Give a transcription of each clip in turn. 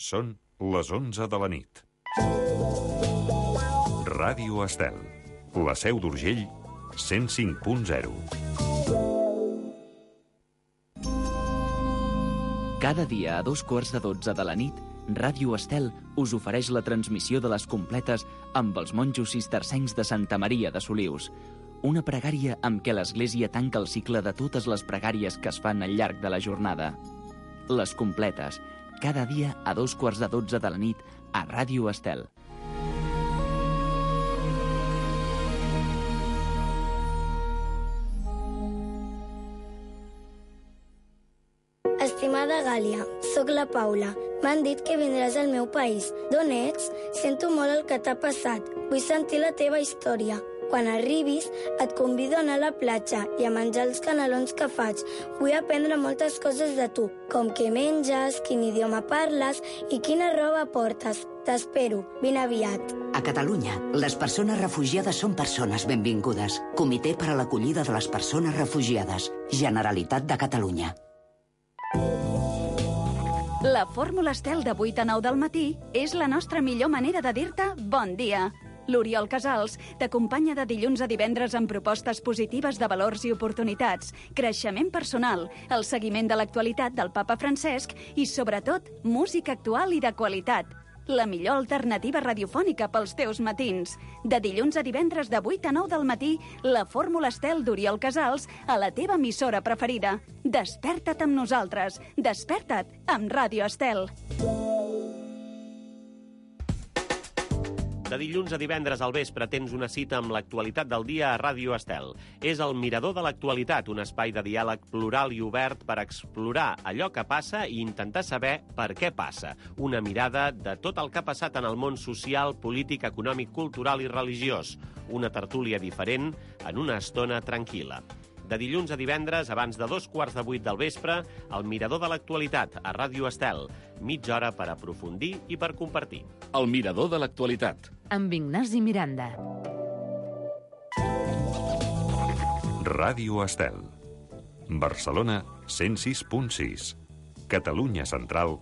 Són les 11 de la nit. Ràdio Estel, la Seu d'Urgell, 105.0. Cada dia a 2:15 de la nit, Ràdio Estel us ofereix la transmissió de les completes amb els monjos cistercencs de Santa Maria de Solius. Una pregària amb què l'Església tanca el cicle de totes les pregàries que es fan al llarg de la jornada. Les completes, cada dia a 2:15 de la nit a Ràdio Estel. Estimada Gàlia, sóc la Paula. M'han dit que vindràs al meu país. D'on ets? Sento molt el que t'ha passat. Vull sentir la teva història. Quan arribis, et convido a anar a la platja i a menjar els canelons que faig. Vull aprendre moltes coses de tu, com què menges, quin idioma parles i quina roba portes. T'espero. Vine aviat. A Catalunya, les persones refugiades són persones benvingudes. Comitè per a l'acollida de les persones refugiades. Generalitat de Catalunya. La fórmula Estel de 8 a 9 del matí és la nostra millor manera de dir-te bon dia. L'Oriol Casals t'acompanya de dilluns a divendres amb propostes positives de valors i oportunitats, creixement personal, el seguiment de l'actualitat del papa Francesc i, sobretot, música actual i de qualitat. La millor alternativa radiofònica pels teus matins. De dilluns a divendres de 8 a 9 del matí, la fórmula Estel d'Oriol Casals a la teva emissora preferida. Desperta't amb nosaltres. Desperta't amb Ràdio Estel. De dilluns a divendres al vespre tens una cita amb l'actualitat del dia a Ràdio Estel. És el Mirador de l'Actualitat, un espai de diàleg plural i obert per explorar allò que passa i intentar saber per què passa. Una mirada de tot el que ha passat en el món social, polític, econòmic, cultural i religiós. Una tertúlia diferent en una estona tranquil·la. De dilluns a divendres, abans de 7:15 del vespre, el Mirador de l'Actualitat a Ràdio Estel. Mitja hora per aprofundir i per compartir. El Mirador de l'Actualitat. Amb Ignasi Miranda. Ràdio Estel. Barcelona, 106.6. Catalunya Central,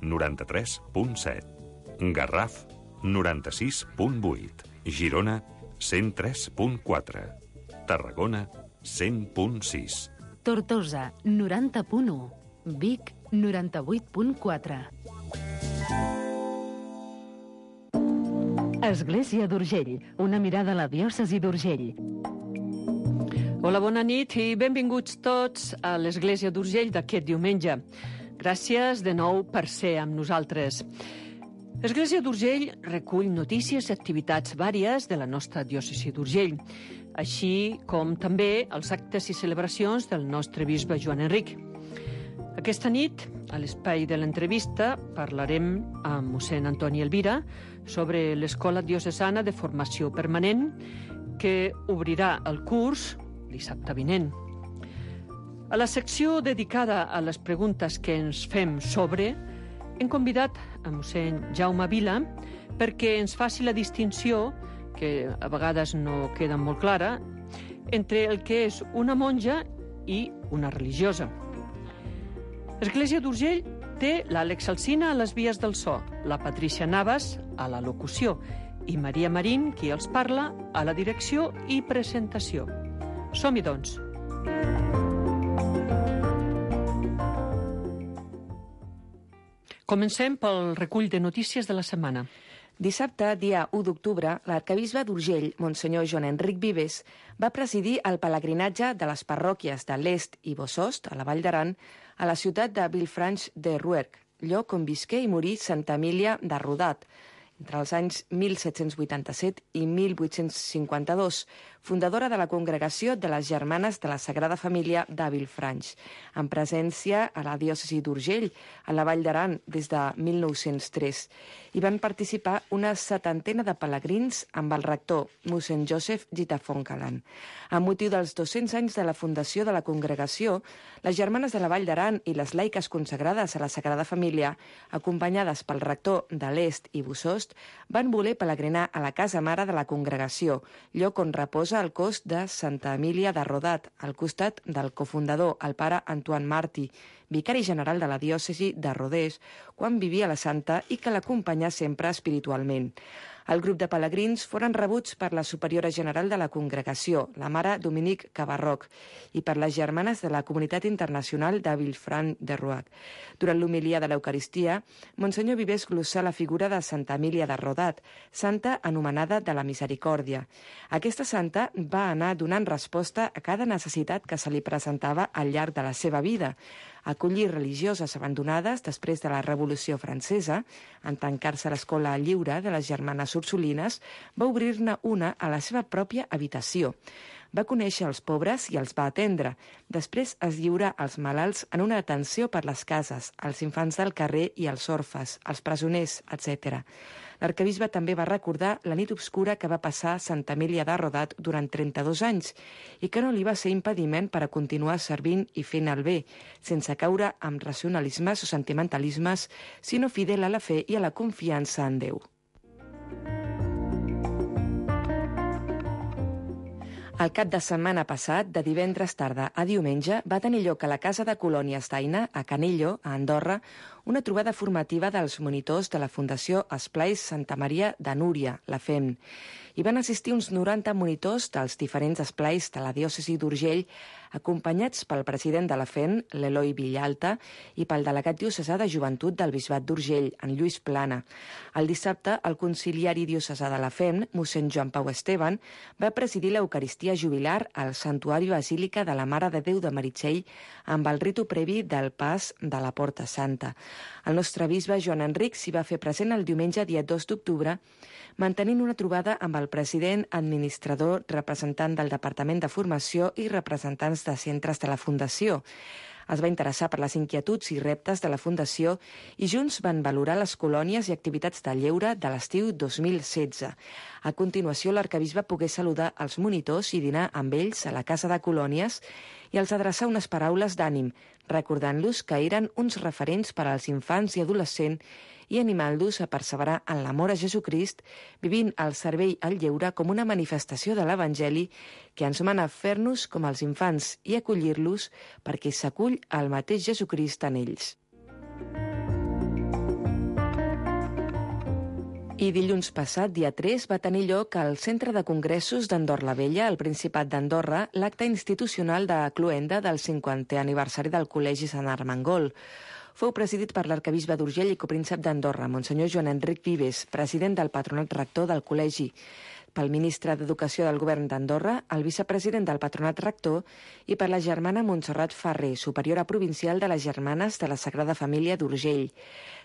93.7. Garraf, 96.8. Girona, 103.4. Tarragona, 100.6. Tortosa, 90.1. Vic, 98.4. Església d'Urgell, una mirada a la diòcesi d'Urgell. Hola, bona nit i benvinguts tots a l'Església d'Urgell d'aquest diumenge. Gràcies de nou per ser amb nosaltres. L'Església d'Urgell recull notícies i activitats vàries de la nostra diòcesi d'Urgell, així com també els actes i celebracions del nostre bisbe Joan Enric. Aquesta nit, a l'espai de l'entrevista, parlarem amb mossèn Antoni Elvira sobre l'Escola Diocesana de Formació Permanent, que obrirà el curs dissabte vinent. A la secció dedicada a les preguntes que ens fem sobre, hem convidat a mossèn Jaume Vila perquè ens faci la distinció, que a vegades no queda molt clara, entre el que és una monja i una religiosa. L'Església d'Urgell té l'Àlex Alsina a les vies del so, la Patrícia Navas a la locució i Maria Marín, qui els parla, a la direcció i presentació. Som-hi, doncs. Comencem pel recull de notícies de la setmana. Dissabte, dia 1 d'octubre, l'arquebisbe d'Urgell, Monsenyor Joan Enric Vives, va presidir el pelegrinatge de les parròquies de l'Est i Bosost, a la Vall d'Aran, a la ciutat de Villefranche de Rouergue, lloc on visqué i morí Santa Emília de Rodat, entre els anys 1787 i 1852, fundadora de la Congregació de les Germanes de la Sagrada Família de Villefranche, amb presència a la diòcesi d'Urgell, a la Vall d'Aran, des de 1903. Hi van participar una 70 de pelegrins amb el rector, mossèn Joseph Gitafoncalan. Amb motiu dels 200 anys de la fundació de la congregació, les Germanes de la Vall d'Aran i les laiques consagrades a la Sagrada Família, acompanyades pel rector de l'Est i Bosost, van voler pelegrinar a la casa mare de la congregació, lloc on reposa el cos de Santa Emília de Rodat, al costat del cofundador, el pare Antoine Martí, vicari general de la diòcesi de Rodés, quan vivia la santa i que l'acompanyà sempre espiritualment. El grup de pelegrins foren rebuts per la superiora general de la congregació, la mare Dominique Cabarroc, i per les germanes de la comunitat internacional de Villefranche-de-Rouac. Durant l'homilia de l'Eucaristia, Monsenyor Vives glossà la figura de Santa Emília de Rodat, santa anomenada de la Misericòrdia. Aquesta santa va anar donant resposta a cada necessitat que se li presentava al llarg de la seva vida. Acollir religioses abandonades després de la Revolució Francesa, en tancar-se a l'escola lliure de les germanes Ursulines, va obrir-ne una a la seva pròpia habitació. Va conèixer els pobres i els va atendre. Després es lliura als malalts en una atenció per les cases, als infants del carrer i als orfes, als presoners, etc. L'arquebisbe també va recordar la nit obscura que va passar Santa Emília de Rodat durant 32 anys i que no li va ser impediment per a continuar servint i fent el bé, sense caure amb racionalismes o sentimentalismes, sinó fidel a la fe i a la confiança en Déu. El cap de setmana passat, de divendres tarda a diumenge, va tenir lloc a la Casa de Colònies d'Aina, a Canillo, a Andorra, una trobada formativa dels monitors de la Fundació Esplais Santa Maria de Núria, la FEM. Hi van assistir uns 90 monitors dels diferents esplais de la diòcesi d'Urgell, acompanyats pel president de la FEM, l'Eloi Villalta, i pel delegat diocesà de Joventut del Bisbat d'Urgell, en Lluís Plana. El dissabte, el conciliari diocesà de la FEM, mossèn Joan Pau Esteban, va presidir l'Eucaristia jubilar al Santuari Basílica de la Mare de Déu de Meritxell amb el ritu previ del pas de la Porta Santa. El nostre bisbe Joan Enric s'hi va fer present el diumenge dia 2 d'octubre, mantenint una trobada amb el president, administrador, representant del Departament de Formació i representants de centres de la Fundació. Es va interessar per les inquietuds i reptes de la Fundació i junts van valorar les colònies i activitats de lleure de l'estiu 2016. A continuació, l'arquebisbe pogué saludar els monitors i dinar amb ells a la Casa de Colònies i els adreçar unes paraules d'ànim, recordant-los que eren uns referents per als infants i adolescents i animant-los a perseverar en l'amor a Jesucrist, vivint el servei al lleure com una manifestació de l'Evangeli que ens mana a fer-nos com els infants i acollir-los perquè s'acull el mateix Jesucrist en ells. I dilluns passat, dia 3, va tenir lloc al Centre de Congressos d'Andorra la Vella, al Principat d'Andorra, l'acte institucional de cloenda del 50è aniversari del Col·legi Sant Armengol. Fou presidit per l'arquebisbe d'Urgell i copríncep d'Andorra, Monsenyor Joan Enric Vives, president del patronat rector del col·legi, pel ministre d'Educació del govern d'Andorra, el vicepresident del patronat rector i per la germana Montserrat Ferrer, superiora provincial de les Germanes de la Sagrada Família d'Urgell.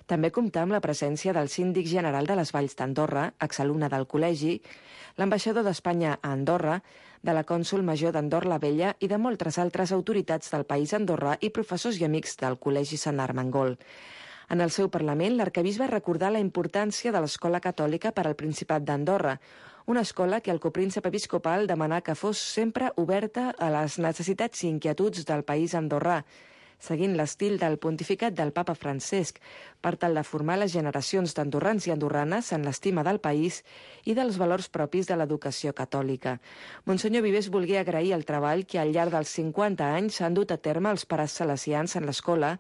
També comptà amb la presència del síndic general de les Valls d'Andorra, exalumne del col·legi, l'ambaixador d'Espanya a Andorra, de la cònsol major d'Andorra la Vella i de moltes altres autoritats del país andorrà i professors i amics del Col·legi Sant Armengol. En el seu Parlament, l'arquebisbe recordà la importància de l'escola catòlica per al Principat d'Andorra, una escola que el copríncep episcopal demanà que fos sempre oberta a les necessitats i inquietuds del país andorrà, seguint l'estil del pontificat del papa Francesc, per tal de formar les generacions d'andorrans i andorranes en l'estima del país i dels valors propis de l'educació catòlica. Monsenyor Vives volgué agrair el treball que al llarg dels 50 anys s'han dut a terme els pares salesians en l'escola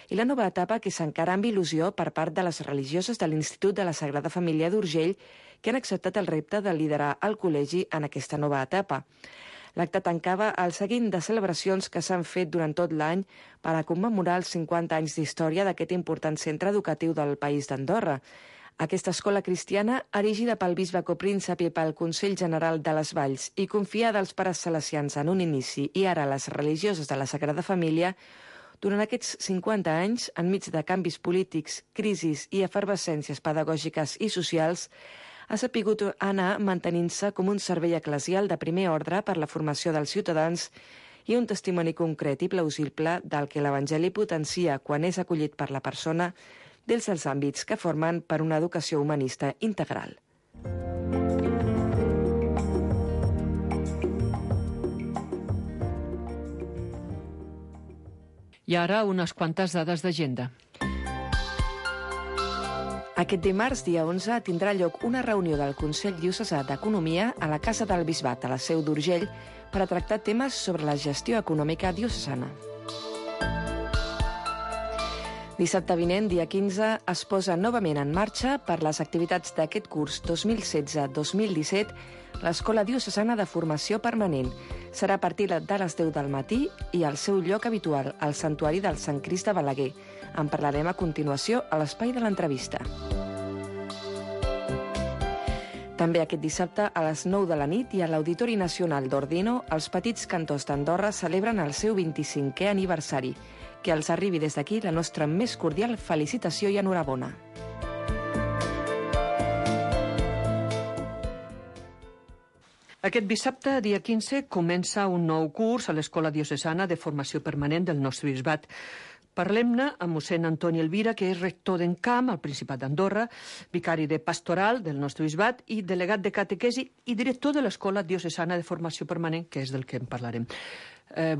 i la nova etapa que s'encara amb il·lusió per part de les religioses de l'Institut de la Sagrada Família d'Urgell que han acceptat el repte de liderar el col·legi en aquesta nova etapa. L'acte tancava el seguint de celebracions que s'han fet durant tot l'any per a commemorar els 50 anys d'història d'aquest important centre educatiu del país d'Andorra. Aquesta escola cristiana, erigida pel bisbe copríncep i pel Consell General de les Valls i confiada als pares salesians en un inici i ara a les religioses de la Sagrada Família, durant aquests 50 anys, enmig de canvis polítics, crisis i efervescències pedagògiques i socials, ha sapigut anar mantenint-se com un servei eclesial de primer ordre per la formació dels ciutadans i un testimoni concret i plausible del que l'Evangeli potencia quan és acollit per la persona dels àmbits que formen per una educació humanista integral. I ara unes quantes dades d'agenda. Aquest dimarts, dia 11, tindrà lloc una reunió del Consell Diocesà d'Economia a la Casa del Bisbat, a la Seu d'Urgell, per a tractar temes sobre la gestió econòmica diocesana. Dissabte vinent, dia 15, es posa novament en marxa per les activitats d'aquest curs 2016-2017 l'Escola Diocesana de Formació Permanent. Serà a partir de les 10 del matí i al seu lloc habitual, al Santuari del Sant Crist de Balaguer. En parlarem a continuació a l'espai de l'entrevista. També aquest dissabte, a les 9 de la nit i a l'Auditori Nacional d'Ordino, els Petits Cantors d'Andorra celebren el seu 25è aniversari. Que els arribi des d'aquí la nostra més cordial felicitació i enhorabona. Aquest dissabte, dia 15, comença un nou curs a l'Escola Diocesana de Formació Permanent del nostre bisbat. Parlem-ne amb mossèn Antoni Elvira, que és rector d'Encamp, al Principat d'Andorra, vicari de pastoral del nostre bisbat i delegat de catequesi i director de l'Escola Diocesana de Formació Permanent, que és del que en parlarem.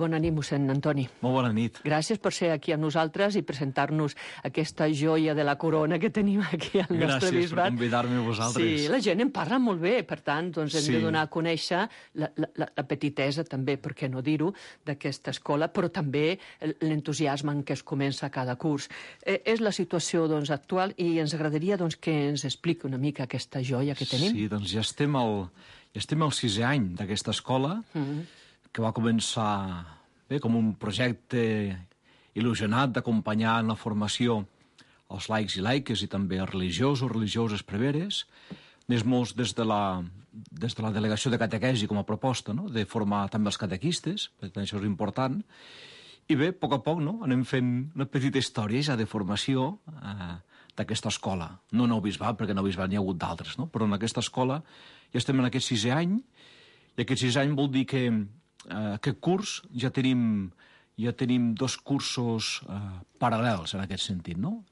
Bona nit, mossèn Antoni. Molt bona nit. Gràcies per ser aquí amb nosaltres i presentar-nos aquesta joia de la corona que tenim aquí al nostre bisbat. Gràcies per convidar-me a vosaltres. Sí, la gent en parla molt bé, per tant, doncs hem de donar a conèixer la petitesa, també, per què no dir-ho, d'aquesta escola, però també l'entusiasme en què es comença cada curs. És la situació doncs, actual i ens agradaria doncs, que ens expliqui una mica aquesta joia que tenim. Sí, doncs ja estem al 6è any d'aquesta escola, que va començar com un projecte il·lusionat d'acompanyar en la formació els laics i laiques i també els religiosos, religioses preveres, més molts des de la delegació de catequesi com a proposta, no? De formar també els catequistes, perquè això és important. I bé, a poc, no? Anem fent una petita història ja de formació d'aquesta escola. No en el bisbat, perquè en el bisbat n'hi ha hagut d'altres, no? Però en aquesta escola ja estem en aquest 6è any, i aquest 6è any vol dir que aquest curs ja tenim 2 cursos paral·lels en aquest sentit, no?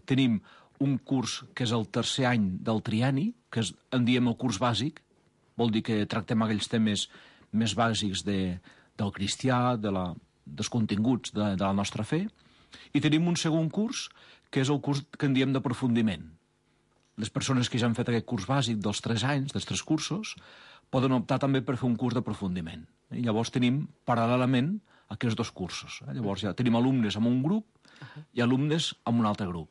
Tenim un curs que és el 3è any del trienni, que en diem el curs bàsic, vol dir que tractem aquells temes més bàsics del cristià, dels continguts de la nostra fe, i tenim un segon curs, que és el curs que en diem d'aprofundiment. Les persones que ja han fet aquest curs bàsic dels 3 anys, dels 3 cursos, poden optar també per fer un curs d'aprofundiment. I llavors tenim paral·lelament aquests 2 cursos. Llavors ja tenim alumnes en un grup i alumnes en un altre grup.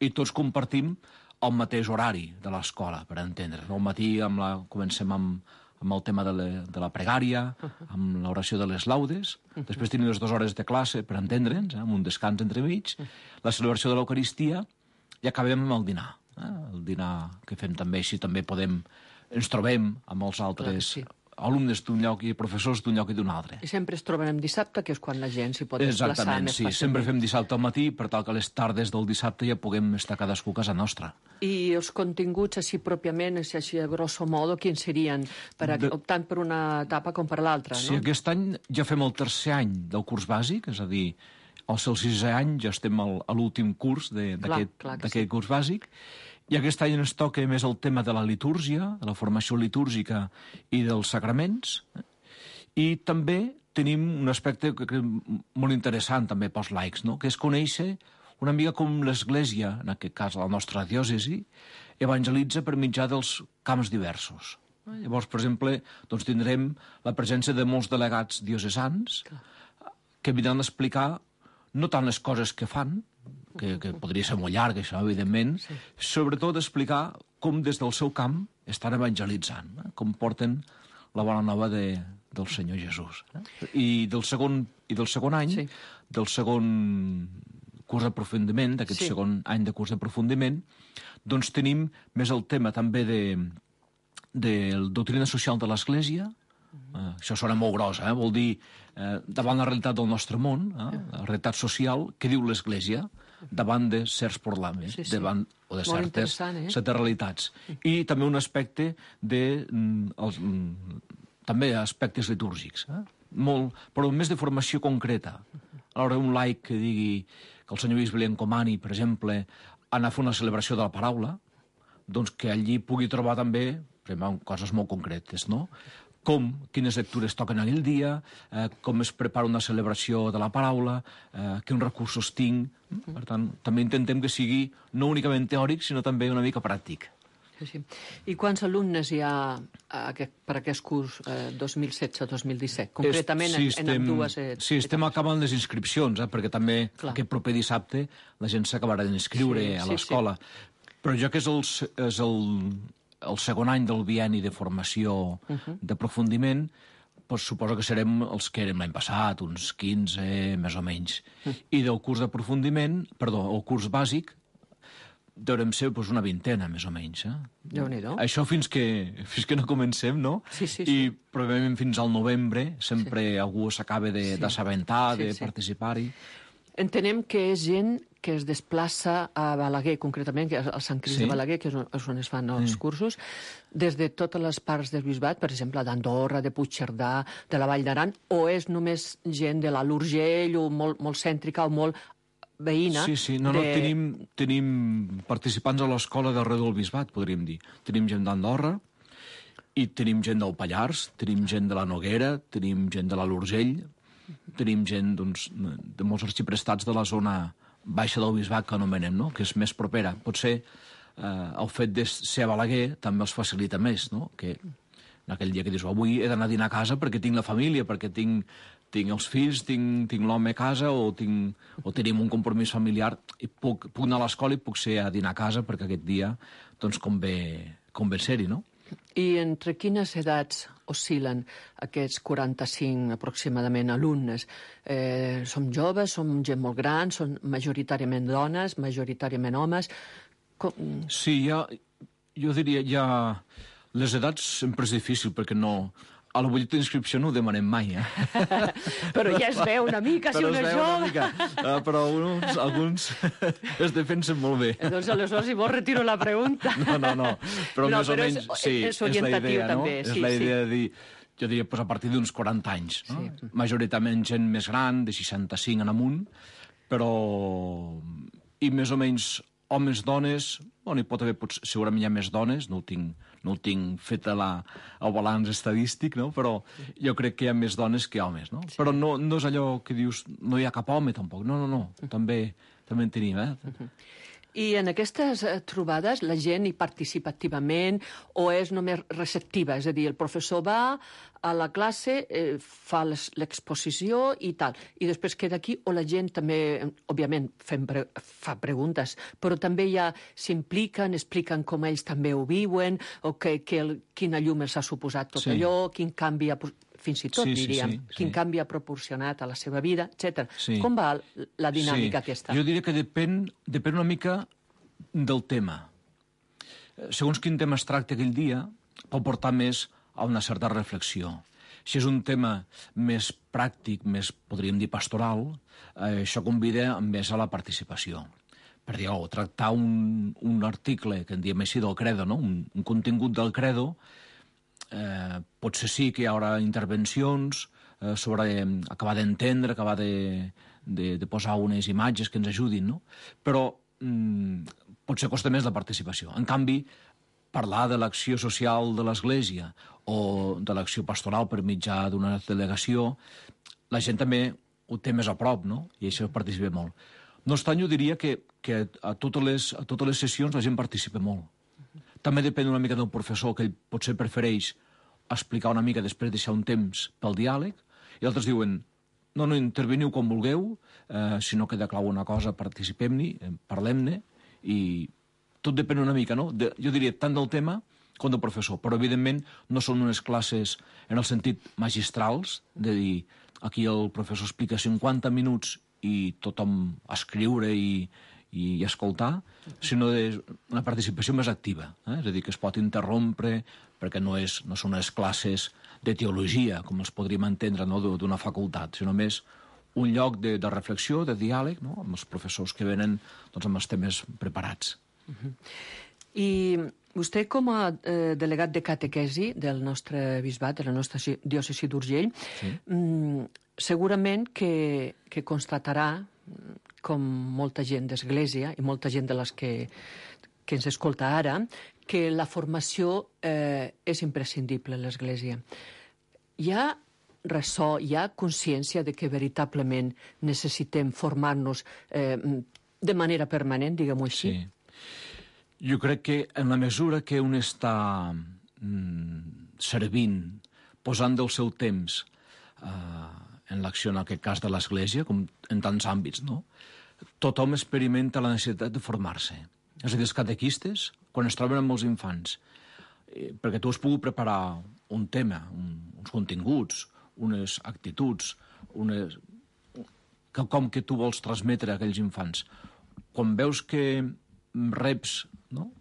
I tots compartim el mateix horari de l'escola, per entendre. Al matí comencem amb el tema de la pregària, amb l'oració de les laudes, després tenim les 2 hores de classe, per entendre'ns, amb un descans entremig, la celebració de l'Eucaristia, i acabem amb el dinar. El dinar que fem també, així també ens trobem amb els altres alumnes d'un lloc i professors d'un lloc i d'un altre. I sempre es troben en dissabte, que és quan la gent s'hi pot desplaçar més fàcilment. Exactament, sí. Sempre fem dissabte al matí, per tal que a les tardes del dissabte ja puguem estar cadascú a casa nostra. I els continguts, així pròpiament, així a grosso modo, quins serien, optant per una etapa com per l'altra, no? Sí, aquest any ja fem el 3è any del curs bàsic, és a dir, al 6è any ja estem a l'últim curs d'aquest curs bàsic, i aquest any ens toca més el tema de la litúrgia, de la formació litúrgica i dels sacraments. I també tenim un aspecte molt interessant també pels laics, no? Que és conèixer una mica com l'Església, en aquest cas la nostra diòcesi, evangelitza per mitjà dels camps diversos. Llavors, per exemple, doncs tindrem la presència de molts delegats diocesans que vindran a explicar no tant les coses que fan, que podria ser molt llarg, això, evidentment, sobretot explicar com des del seu camp estan evangelitzant, com porten la bona nova del Senyor Jesús. I del segon any, del segon curs d'aprofundiment, d'aquest segon any de curs d'aprofundiment, doncs tenim més el tema també de la doctrina social de l'Església. Això sona molt gros, vol dir davant la realitat del nostre món, la realitat social, què diu l'Església davant de certs problemes, o de certes realitats. I també un aspecte també aspectes litúrgics, però més de formació concreta. Alhora, un laic que digui que el senyor bisbe li encomani, per exemple, anar a fer una celebració de la paraula, doncs que allí pugui trobar també coses molt concretes, no? Quines lectures toquen aquell dia, com es prepara una celebració de la paraula, quins recursos tinc. Per tant, també intentem que sigui no únicament teòric, sinó també una mica pràctic. I quants alumnes hi ha per aquest curs 2016-2017? Concretament en ambdues... Sí, estem acabant les inscripcions, perquè també aquest proper dissabte la gent s'acabarà d'inscriure a l'escola. Però ja que és el segon any del bienni de formació d'aprofundiment, suposo que serem els que érem l'any passat, uns 15, més o menys. I del curs d'aprofundiment, perdó, el curs bàsic, deurem ser una vintena, més o menys. Déu-n'hi-do. Això fins que no comencem, no? Sí. I probablement fins al novembre sempre algú s'acaba d'assabentar, de participar-hi. Entenem que és gent que es desplaça a Balaguer, concretament, que és al Sant Crist de Balaguer, que és on es fan els cursos, des de totes les parts del Bisbat, per exemple, d'Andorra, de Puigcerdà, de la Vall d'Aran, o és només gent de l'Alt Urgell, o molt cèntrica, o molt veïna? Sí, tenim participants a l'escola d'arreu del Bisbat, podríem dir. Tenim gent d'Andorra, i tenim gent del Pallars, tenim gent de la Noguera, tenim gent de l'Alt Urgell, tenim gent de molts arxiprestats de la zona baixa del Bisbat, que anomenem, no? Que és més propera. Potser el fet de ser a Balaguer també els facilita més, no? Que en aquell dia que dius, avui he d'anar a dinar a casa perquè tinc la família, perquè tinc els fills, tinc l'home a casa o tenim un compromís familiar i puc anar a l'escola i puc ser a dinar a casa perquè aquest dia convé ser-hi, no? I entre quines edats oscil·len aquests 45 aproximadament alumnes? Som joves, som gent molt gran, són majoritàriament dones, majoritàriament homes? Sí, jo diria, les edats sempre és difícil perquè no... A la butlleta d'inscripció no ho demanem mai, Però ja es veu una mica, si un és jove. Però alguns es defensen molt bé. Doncs aleshores, si vols, retiro la pregunta. No. Però més o menys, sí, és la idea, no? També, és la idea de dir, jo diria, a partir d'uns 40 anys. Majoritàriament gent més gran, de 65 en amunt, però... I més o menys homes, dones... Hi pot haver, segurament hi ha més dones, no ho tinc fet el balanç estadístic, no? Però jo crec que hi ha més dones que homes, no? Però no és allò que dius, no hi ha cap home, tampoc. No. També en tenim, I en aquestes trobades la gent hi participa activament o és només receptiva? És a dir, el professor va a la classe, fa l'exposició i tal, i després queda aquí, o la gent també, òbviament, fa preguntes, però també ja s'impliquen, expliquen com ells també ho viuen, o quina llum els ha suposat tot allò, quin canvi ha... fins i tot, diríem, quin canvi ha proporcionat a la seva vida, etc. Com va la dinàmica aquesta? Jo diria que depèn una mica del tema. Segons quin tema es tracta aquell dia, pot portar més a una certa reflexió. Si és un tema més pràctic, més, podríem dir, pastoral, això convida més a la participació. Per dir, tractar un article, que en diem així, del credo, no? Un contingut del credo, potser sí que hi haurà intervencions sobre acabar d'entendre, acabar de posar unes imatges que ens ajudin, no? Però potser costa més la participació. En canvi, parlar de l'acció social de l'Església o de l'acció pastoral per mitjà d'una delegació, la gent també ho té més a prop, no? I això participa molt. No obstant, jo diria que a totes les sessions la gent participa molt. També depèn una mica del professor, que ell potser prefereix explicar una mica, després deixar un temps pel diàleg, i altres diuen, no, interveniu com vulgueu, si no queda clau una cosa, participem-hi, parlem-ne, i tot depèn una mica, no? Jo diria tant del tema com del professor, però evidentment no són unes classes en el sentit magistrals, de dir, aquí el professor explica 50 minuts i tothom escriure i escoltar, sinó una participació més activa. És a dir, que es pot interrompre, perquè no són unes classes de teologia, com els podríem entendre, no? D'una facultat, sinó més un lloc de reflexió, de diàleg, no? Amb els professors que venen amb els temes preparats. I vostè, com a delegat de catequesi del nostre bisbat, de la nostra diòcesi d'Urgell, segurament que constatarà, com molta gent d'Església i molta gent de les que ens escolta ara, que la formació és imprescindible a l'Església. Hi ha ressò, hi ha consciència de que veritablement necessitem formar-nos de manera permanent, diguem-ho així? Sí. Jo crec que en la mesura que un està servint, posant del seu temps en l'acció, en aquest cas de l'Església, com en tants àmbits, no? Tothom experimenta la necessitat de formar-se. És a dir, els catequistes, quan es troben amb els infants, perquè tu has pogut preparar un tema, uns continguts, unes actituds, quelcom que tu vols transmetre a aquells infants. Quan veus que reps, no?,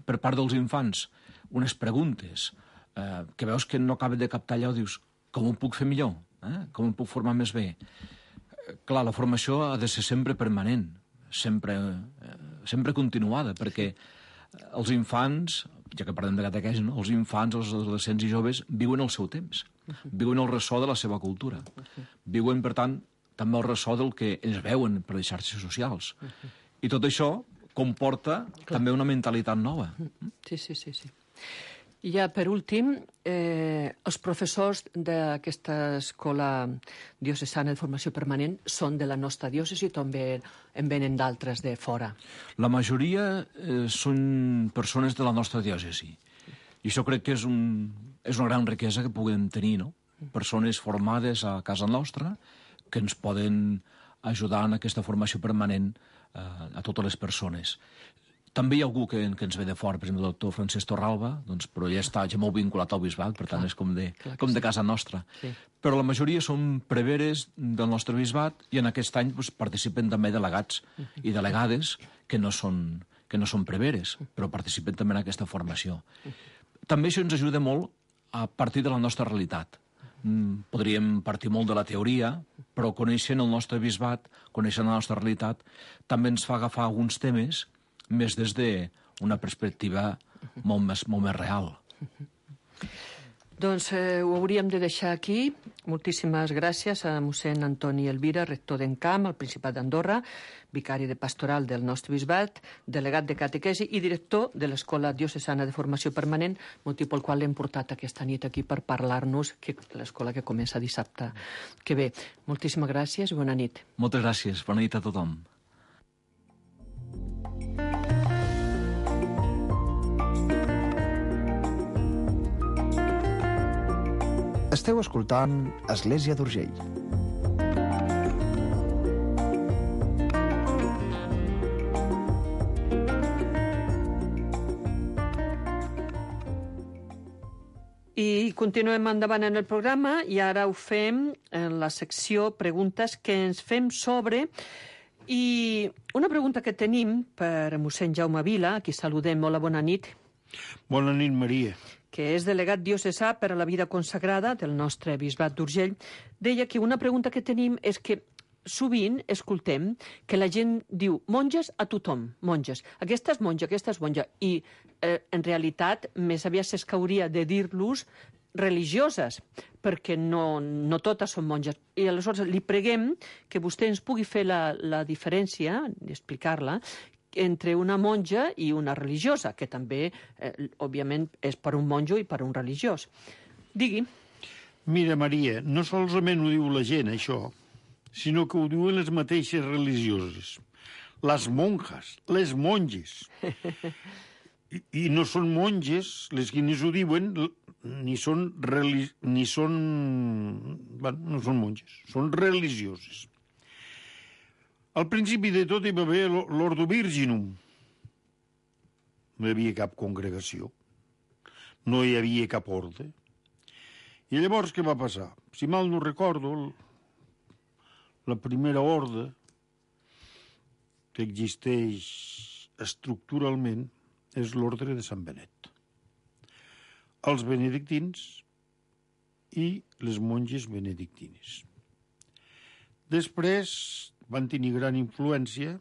per part dels infants unes preguntes, que veus que no acaba de captar allò, dius, com ho puc fer millor? Com em puc formar més bé? Clar, la formació ha de ser sempre permanent, sempre continuada, perquè els infants, ja que parlem de catequesi, no? Els infants, els adolescents i joves viuen el seu temps, viuen el ressò de la seva cultura, viuen, per tant, també el ressò del que ells veuen per les xarxes socials. I tot això comporta també una mentalitat nova. Sí. I ja, per últim, els professors d'aquesta escola diocesana de formació permanent són de la nostra diòcesi o també en venen d'altres de fora? La majoria són persones de la nostra diòcesi. I això crec que és una gran riquesa que puguem tenir, no? Persones formades a casa nostra que ens poden ajudar en aquesta formació permanent a totes les persones. També hi ha algú que ens ve de fora, per exemple, el doctor Francesc Torralba, doncs, però ell està ja molt vinculat al bisbat, per tant és com de casa nostra. Sí. Però la majoria són preveres del nostre bisbat i en aquest any doncs, participen també delegats i delegades que no són preveres, però participen també en aquesta formació. També això ens ajuda molt a partir de la nostra realitat. Podríem partir molt de la teoria, però coneixent el nostre bisbat, coneixent la nostra realitat, també ens fa agafar alguns temes més des d'una perspectiva molt més real. Doncs ho hauríem de deixar aquí. Moltíssimes gràcies a mossèn Antoni Elvira, rector d'Encamp, al Principat d'Andorra, vicari de pastoral del nostre bisbat, delegat de catequesi i director de l'Escola Diocesana de Formació Permanent, motiu pel qual l'hem portat aquesta nit aquí per parlar-nos, que l'escola que comença dissabte que ve. Moltíssimes gràcies i bona nit. Moltes gràcies. Bona nit a tothom. Esteu escoltant Església d'Urgell. I continuem endavant en el programa i ara ho fem en la secció Preguntes que ens fem sobre. I una pregunta que tenim per mossèn Jaume Vila, a qui saludem. Hola, bona nit. Bona nit, Maria. Que és delegat diocesà per a la vida consagrada del nostre bisbat d'Urgell, deia que una pregunta que tenim és que sovint escoltem que la gent diu monges a tothom, monges. Aquesta és monja, aquesta és monja. I en realitat més aviat s'escauria de dir-los religioses, perquè no totes són monges. I aleshores li preguem que vostè ens pugui fer la diferència, explicar-la, entre una monja i una religiosa, que també, òbviament, és per un monjo i per un religiós. Digui. Mira, Maria, no solament ho diu la gent, això, sinó que ho diuen les mateixes religioses. Les monjas, les monges. I no són monges, les que ho diuen, no són monges, són religioses. Al principi de tot hi va haver l'Ordo Virginum. No hi havia cap congregació. No hi havia cap orde. I llavors què va passar? Si mal no recordo, la primera orde que existeix estructuralment és l'ordre de Sant Benet. Els benedictins i les monges benedictines. Després van tenir gran influència.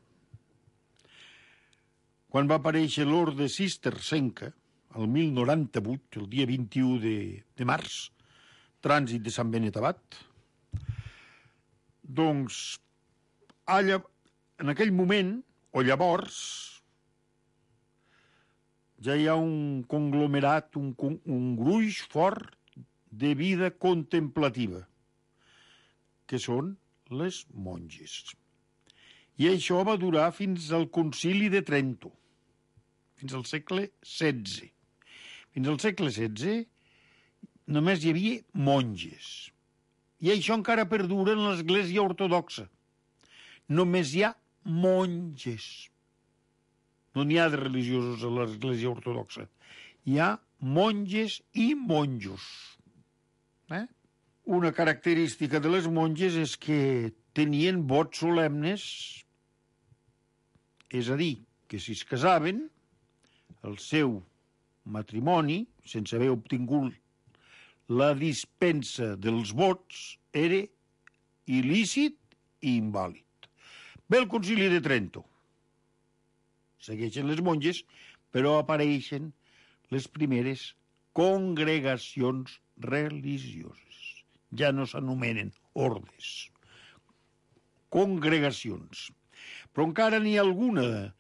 Quan va aparèixer l'orde cistercenca, el 1098, el dia 21 de març, trànsit de Sant Benet Abat, doncs, en aquell moment, o llavors, ja hi ha un conglomerat, un gruix fort de vida contemplativa, que són les monges. I això va durar fins al Concili de Trento. fins al segle XVI. Fins al segle XVI només hi havia monges. I això encara perdura en l'Església Ortodoxa. Només hi ha monges. No n'hi ha de religiosos a l'Església Ortodoxa. Hi ha monges i monjos. Una característica de les monges és que tenien vots solemnes, és a dir, que si es casaven, el seu matrimoni, sense haver obtingut la dispensa dels vots, era il·lícit i invàlid. Ve el Concili de Trento. Segueixen les monges, però apareixen les primeres congregacions religioses. Ja no s'anomenen ordes. Congregacions. Però encara n'hi ha alguna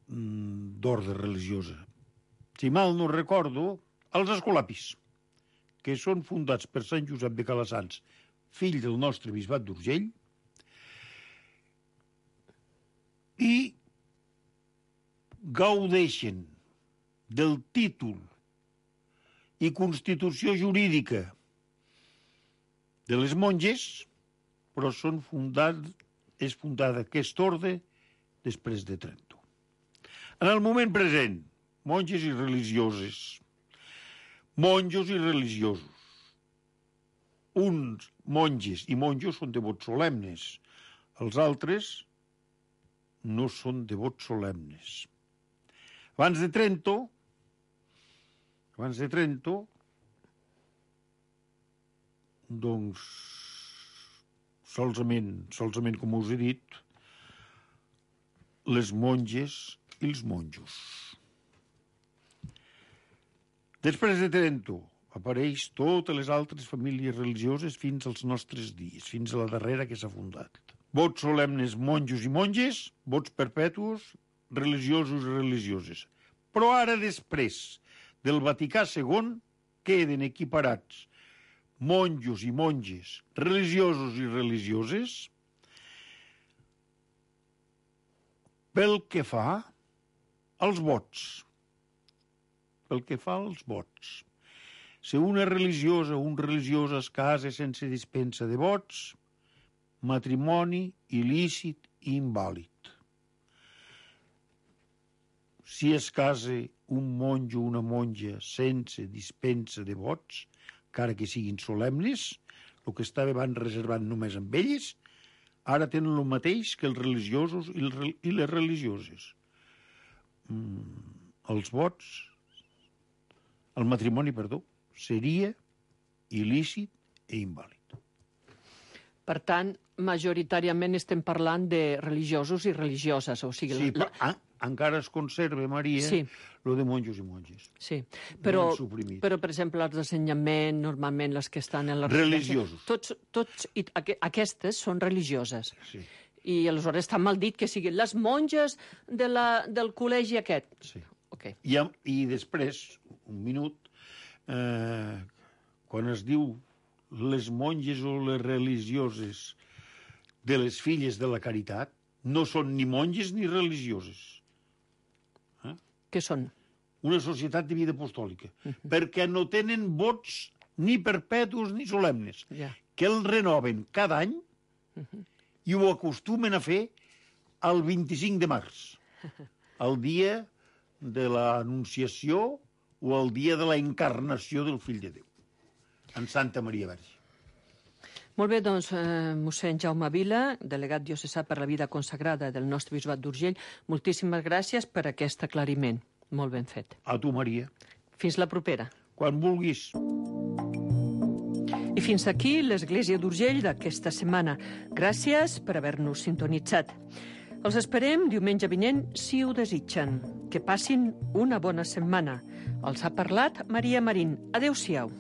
d'ordre religiosa. Si mal no recordo, els escolapis, que són fundats per Sant Josep de Calassanç, fill del nostre bisbat d'Urgell, i gaudeixen del títol i constitució jurídica de les monges, però és fundada aquest orde després de Trento. En el moment present, monges i religioses, monjos i religiosos. Uns monges i monjos són devots solemnes, els altres no són devots solemnes. Abans de Trento, doncs, solament com us he dit, les monges i els monjos. Després de Trento apareix totes les altres famílies religioses fins als nostres dies, fins a la darrera que s'ha fundat. Vots solemnes monjos i monges, vots perpetus religiosos i religioses. Però ara, després del Vaticà II, queden equiparats monjos i monges, religiosos i religioses, pel que fa als vots. Pel que fa als vots. Si una religiosa o un religiós es casa sense dispensa de vots, matrimoni il·lícit i invàlid. Si es casa un monjo o una monja sense dispensa de vots, encara que siguin solemnes, el que estava abans reservat només amb elles, ara tenen el mateix que els religiosos i les religioses. Els vots, el matrimoni, seria il·lícit i invàlid. Per tant, majoritàriament estem parlant de religiosos i religioses. O sigui, sí, però encara es conserva, Maria, lo de monjos i monges. Sí, però, per exemple, els d'ensenyament, normalment les que estan en la... Religiosos. Aquestes són religioses. Sí. I aleshores està mal dit que siguin les monges del col·legi aquest. Sí. Okay. I després, un minut, quan es diu les monges o les religioses de les filles de la caritat, no són ni monges ni religioses. Què són? Una societat de vida apostòlica, perquè no tenen vots ni perpetus ni solemnes, que el renoven cada any i ho acostumen a fer el 25 de març, el dia de l'Anunciació o el dia de la encarnació del Fill de Déu, en Santa Maria Verge. Molt bé, doncs, mossèn Jaume Vila, delegat diocesà per la vida consagrada del nostre bisbat d'Urgell, moltíssimes gràcies per aquest aclariment. Molt ben fet. A tu, Maria. Fins la propera. Quan vulguis. I fins aquí l'Església d'Urgell d'aquesta setmana. Gràcies per haver-nos sintonitzat. Els esperem diumenge vinent, si ho desitgen. Que passin una bona setmana. Els ha parlat Maria Marín. Adéu-siau.